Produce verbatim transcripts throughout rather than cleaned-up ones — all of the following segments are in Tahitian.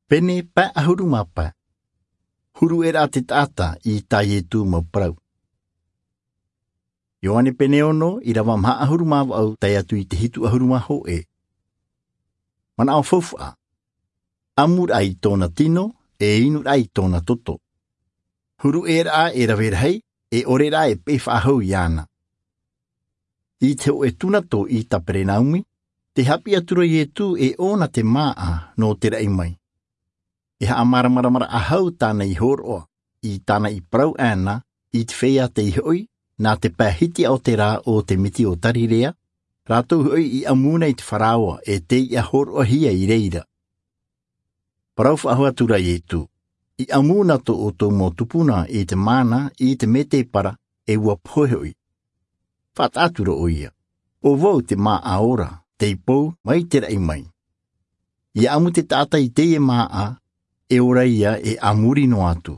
Pene pae ʻahuru mā pae. Huru ʻē rā te taʻata i tā Ietu mau parau. Ioane pene ono, ʻirava maha ʻahuru mā vaʻu tae atu i te hitu ʻahuru mā hōʻē. Manaʻo faufaʻa. ʻAmu rā i tōna tino, e inu rā i tōna toto. Huru ʻē rā e rave rahi, e ʻore rā e peʻe faʻahou iāna. I te hōʻē tūnato i Kaperenaumi, tē haʻapiʻi atu ra Ietu e ʻōna te māʻa nō te raʻi mai. E haʻamāramaramaraʻa hau tāna i hōroʻa, i tāna i parau ʻana, i te feiā tei hoʻi, nā te pae hitiʻa o te rā o te miti o Kalilaia, rātou hoʻi i ʻamu na i te faraoa e tei hōroʻahia i reira. Parau faʻahou atu ra Ietu, i ʻamu na tō ʻoutou mau tupuna i te māna, i te mētēpara, e ʻua pohe hoʻi. Faʻataʻa atu ra ʻoia, ʻo vau te māʻa ora, tei pou mai te raʻi mai. ʻIa ʻamu te taʻata i teie māʻa, e ora ia e a muri noa atu.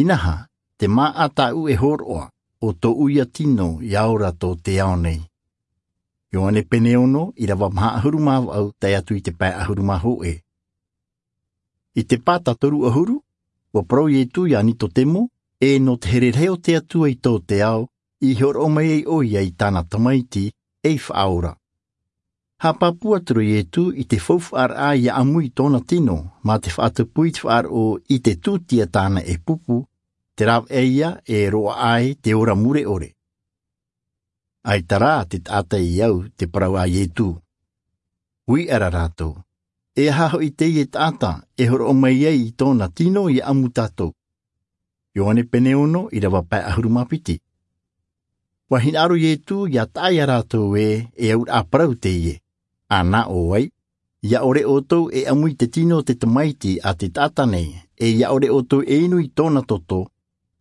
Inaha, te māʻa tāʻu e hōroʻa, ʻo tōʻu ia tino ʻia ora tō te ao nei. Ioane pene ono, ʻirava maha ʻahuru mā vaʻu tae atu i te pae ʻahuru mā hōʻē. I te pāta toru ʻahuru, ʻua parau Ietu iā Nikotemo, e nō te here rahi o te Atua i tō te ao, i hōroʻa mai ai ʻoia i tāna Tamaiti, ei Faʻaora. Haʻapāpū atu ra Ietu i te faufaʻaraʻa ʻia ʻamu i tōna tino, mā te faʻatupu i te faʻaroʻo i te tūtia tāna e pupu, te rāveʻa ia e roaʻa ai te ora mure ʻore. ʻAita rā te taʻata i au te parau a Ietu. Uiʻa ra rātou, e aha hoʻi teie taʻata e hōroʻa mai ai i tōna tino ʻia ʻamu tātou? Ioane pene ono, ʻirava pae ʻahuru mā piti. ʻUa hinaʻaro Ietu ʻia taʻa iā rātou ē, e auraʻa parau teie. Ā, nā ʻō ai, ʻia ʻore ʻoutou e ʻamu i te tino o te Tamaiti a te taʻata nei, e ʻia ʻore ʻoutou e inu i tōna toto,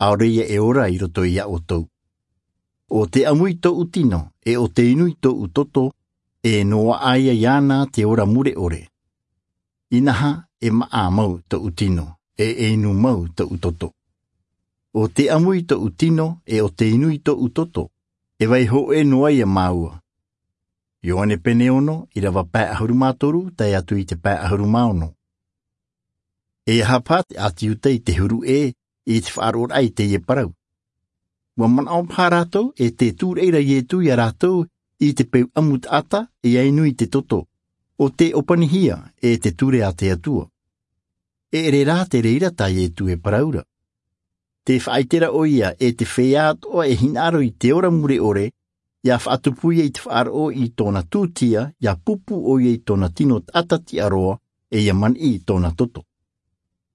ʻaore ia e ora i roto iā ʻoutou. ʻO te ʻamu i tōʻu tino, e ʻo te inu i tōʻu toto, e noaʻa ia iāna te ora mure ʻore. Inaha, e māʻa mau tōʻu tino, e, e inu mau tōʻu toto. ʻO te ʻamu i tōʻu tino, e ʻo te inu i tōʻu toto, e vai hōʻē noa ia māua. Ioane pene ono, ʻirava pae ʻahuru mā toru, tae atu i te pae ʻahuru mā ono. E aha paha te ʻāti Iuta i te huru ʻē, i te faʻaroʻoraʻa i teie parau? ʻUa manaʻo paha rātou, e tē tūraʻi ra Ietu iā rātou, i te peu ʻamu taʻata, ʻia inu i te toto. ʻO tē ʻōpanihia, e te ture a te Atua. E ʻere rā te reira tā Ietu e parau ra. Tē faʻaʻite ra ʻoia e te feiā atoʻa e hinaʻaro i te ora mure ʻore, ʻia faʻatupu ia i te faʻaroʻo i tōna tūtia, ʻia pupu ʻoia i tōna tino taʻata tiʻa roa, e ʻia maniʻi i tōna toto.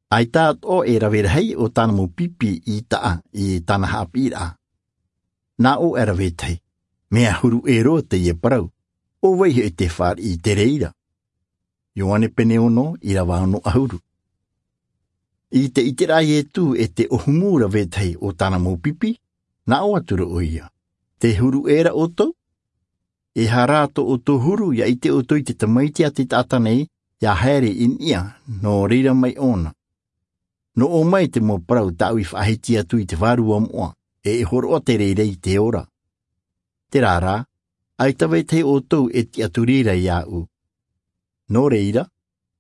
ʻAita atoʻa e rave rahi ʻo tāna mau pipi i taʻa i tāna haʻapiʻiraʻa. Nā ʻō e rave tahi, mea huru ʻē roa teie parau, ʻo vai hoʻi te fāriʻi i te reira? Ioane pene ono, ʻirava ono ʻahuru. I te ʻiteraʻa a Ietu e te ʻōhumu rave tahi o tāna mau pipi, nā ʻō atu ra ʻoia, tē huru ʻē ra ʻoutou? E aha rā tō ʻoutou huru ʻia ʻite ʻoutou i te Tamaiti a te taʻata nei, ʻia haere i niʻa nō reira mai ʻōna? Nō ʻō mai te mau parau tāʻu i faʻahiti atu i te vārua moʻa, e e hōroʻa te reira i te ora. Terā rā, ʻaita vai tahi ʻoutou e tiʻaturi ra iāʻu. Nō reira,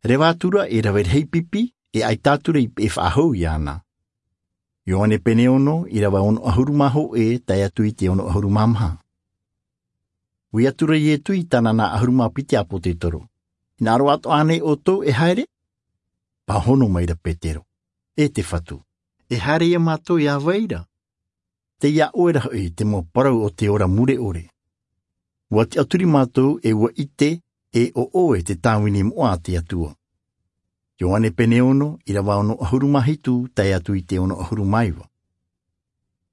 reva atu ra e rave rahi pipi, e ʻaita atu ra i peʻe faʻahou iāna. Ioane pene ono, ʻirava ono ʻahuru mā hōʻē, tae atu i te ono ʻahuru mā maha. Ui atu ra Ietu i tāna nā ʻahuru mā piti ʻāpōsetolo. Hinaʻaro atoʻa ānei ʻoutou e haere? Pāhono mai ra Petero. E te Fatu, e haere ia mātou iā vai ra? Tei iā ʻoe ra hoʻi te mau parau o te ora mure ʻore. ʻUa tiʻaturi mātou e ʻua ʻite e ʻo ʻoe te tāvini moʻa a te Atua. Ioane pene ono, ʻirava ono ʻahuru mā hitu, tae atu i te ono ʻahuru mā iva.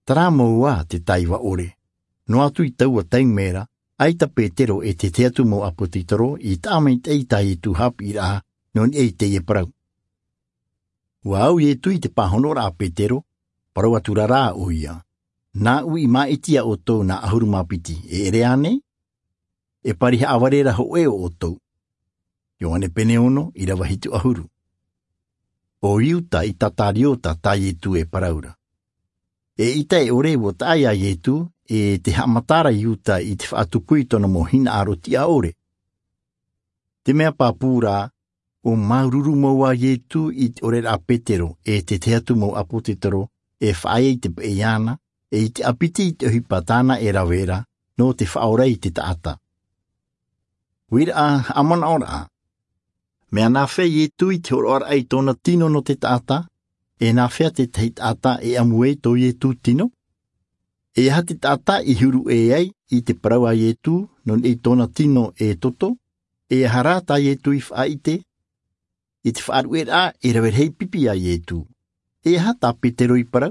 Terā mau ā te taiva ʻore. Noa atu i taua taime ra, ʻaita Petero e te tahi atu mau ʻāpōsetolo i taʻa maitaʻi i tā Ietu haʻapiʻiraʻa, nō niʻa i teie parau. ʻUa au Ietu i te pāhonoraʻa a Petero, parau atu ra rā ʻoia. Nāʻu i māʻiti iā ʻoutou nā ʻahuru mā piti, e ʻere ānei? E pari haʻavare ra hōʻē o ʻoutou. Ioane pene ono, ʻirava hitu ʻahuru. ʻO Iuta Isikariota tā Ietu e parau ra. Eʻita e ʻore ʻua taʻa iā Ietu, e te haʻamata ra Iuta i te faʻatupu i tōna mau hinaʻaro tiʻa ʻore. Te mea pāpū rā, ʻO māuruuru mau ā Ietu i te ʻoreraʻa a Petero e te tahi atu mau ʻāpōsetolo e faʻaea i te peʻe iāna, e i te ʻāpiti i te ʻohipa tāna e rave ra nō te faʻaora i te taʻata. Uiraʻa, haʻamanaʻoraʻa. Mea nāfea Ietu i te hōroʻaraʻa i tōna tino nō te taʻata? E nāfea te tahi taʻata e ʻamu ai tō Ietu tino? E aha te taʻata i huru ʻē ai i te parau a Ietu nō niʻa i tōna tino e toto? E aha rā tā Ietu i faʻaʻite? I te faʻaruʻeraʻa e rave rahi pipi a Ietu, e aha tā Petero i parau?